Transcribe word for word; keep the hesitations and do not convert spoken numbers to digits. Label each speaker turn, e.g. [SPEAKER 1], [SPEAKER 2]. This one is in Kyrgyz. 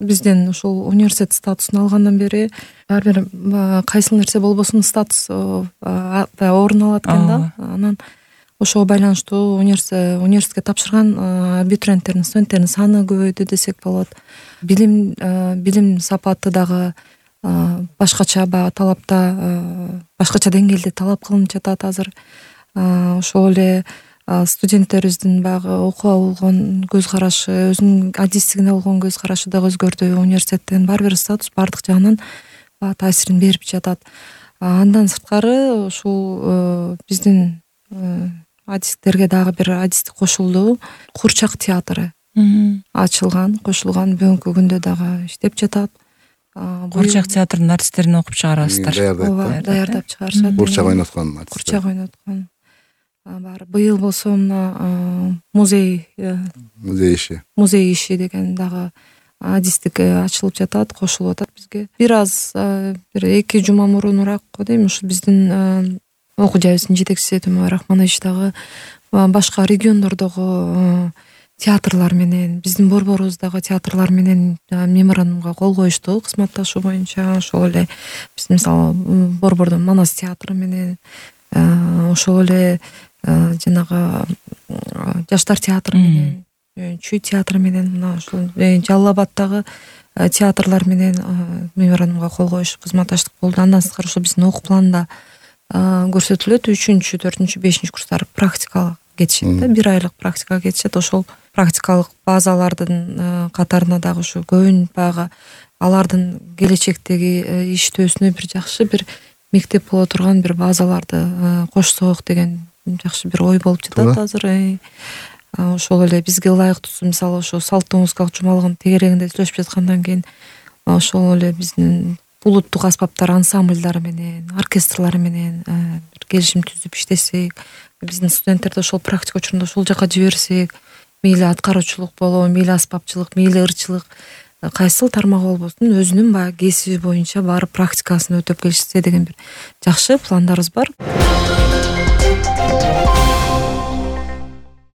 [SPEAKER 1] бизден ушул университет статусун алгандан бери ар бир кайсыл нерсе болбосун статус орун алат экен да. Анан ошого байланыштуу университетке тапшырган абитуриенттердин, студенттердин саны көбөйдү десек болот. Билим билим сапаты дагы башкача баягы талапта, башкача деңгээлде талап кылынып жатат азыр. Ошол эле студенттерибиздин баягы окууга болгон көз карашы, өзүнүн адистигине болгон көз карашы дагы өзгөрдү. Университеттин ар бир статус бардык жагынан баягы таасирин берип жатат. Андан сырткары ушул биздин адистиктерге дагы бир адистик кошулду. Курчак театры ачылган, кошулган. Бүгүнкү күндө дагы иштеп жатат.
[SPEAKER 2] Курчак театрынын артисттерин окуп чыгарасыздар.
[SPEAKER 1] Ооба, даярдап чыгарышат.
[SPEAKER 3] Курчак ойноткон артисттер.
[SPEAKER 1] Курчак ойноткон. Бар быйыл болсо мына музей
[SPEAKER 3] музей иши.
[SPEAKER 1] Музей иши деген дагы адистик ачылып жатат, кошулуп атат бизге. Бир аз бир эки жума мурунураак го дейм, ушу биздин окуу жайыбыздын жетекчиси Төмөбай Рахманович дагы башка региондордогу театрлар менен, биздин борборубуздагы театрлар менен меморандумга кол коюшту кызматташуу боюнча. Ошол эле биздин мисалы борбордун Манас театры менен, ошол эле жанагы Жаштар театры менен, Чүй театры менен, мына ушул Жалал Абаддагы театрлар менен меморандумга кол коюш, кызматташтык болду. Андан сырткары ошо биздин окуу планда көрсөтүлөт. үчүнчү, төртүнчү, бешинчи курстар практикага кетишет да, бир айлык практикага кетишет. Ошол практикалык базалардын катарына дагы ушу көбүн баягы алардын келечектеги иштөөсүнө бир жакшы бир мектеп боло турган бир базаларды кошсок деген жакшы бир ой болуп жатат азыр. Ошол эле бизге ылайыктуусу мисалы ошо салттуу музыкалык жумалыгын тегерегинде сүйлөшүп жаткандан кийин ошол эле биздин улуттук аспаптар ансамбльдары менен, оркестрлары менен бир келишим түзүп иштесек, биздин студенттерди ошол практика учурунда ошол жака жиберсек, мейли аткаруучулук болобу, мейли аспапчылык, мейли ырчылык, кайсыл тармак болбосун өзүнүн баягы кесиби боюнча барып практикасын өтөп келишсе деген бир жакшы пландарыбыз бар.